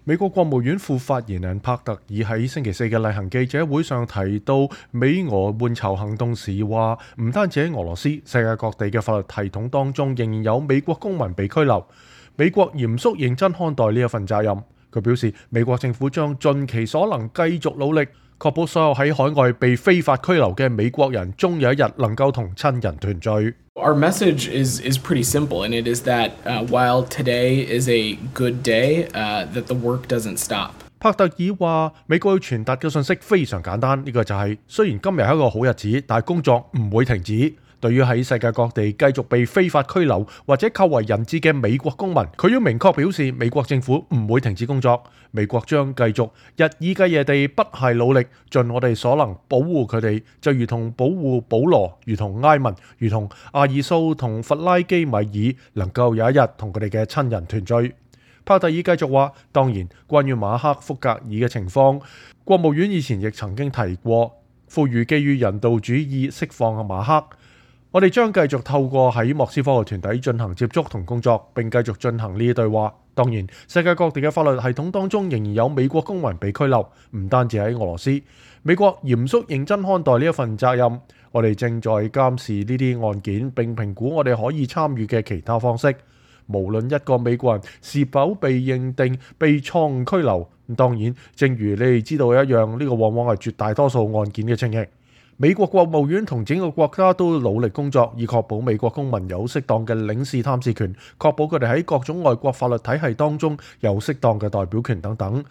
美國國務院副發言人帕特爾喺星期四嘅例行記者會上提到美俄援朝行動時話，唔單止喺俄羅斯，世界各地嘅法律系統當中仍然有美國公民被拘留。美國嚴肅認真看待呢一份責任。佢表示，美國政府將盡其所能繼續努力，確保所有喺海外被非法拘留嘅美國人終有一日能夠同親人團聚。Our message is pretty simple, and it is that while today is a good day, that the work doesn't stop. 帕特爾話：美國要傳達嘅信息非常簡單，呢個就係雖然今日係一個好日子，但係工作唔會停止。對於喺世界各地繼續被非法拘留或者扣為人質嘅美國公民，佢要明確表示，美國政府唔會停止工作，美國將繼續日以繼夜地不懈努力，盡我哋所能保護佢哋，就如同保護保羅，如同埃文，如同阿爾蘇同弗拉基米爾，能夠有一日同佢哋嘅親人團聚。帕特爾繼續話：當然，關於馬克·福格爾嘅情況，國務院以前亦曾經提過，呼籲基於人道主義釋放馬克。我哋將繼續透過喺莫斯科嘅團體進行接觸同工作，並繼續進行呢啲對話。當然，世界各地嘅法律系統當中仍然有美國公民被拘留，唔單止喺俄羅斯。美國嚴肅認真看待呢一份責任，我哋正在監視呢啲案件，並評估我哋可以參與嘅其他方式。無論一個美國人是否被認定被錯誤拘留，當然，正如你哋知道一樣，呢個往往係絕大多數案件嘅情形。美國國務院同整個國家都努力工作，以確保美國公民有適當嘅領事探視權，確保佢哋喺各種外國法律體系當中有適當嘅代表權等等。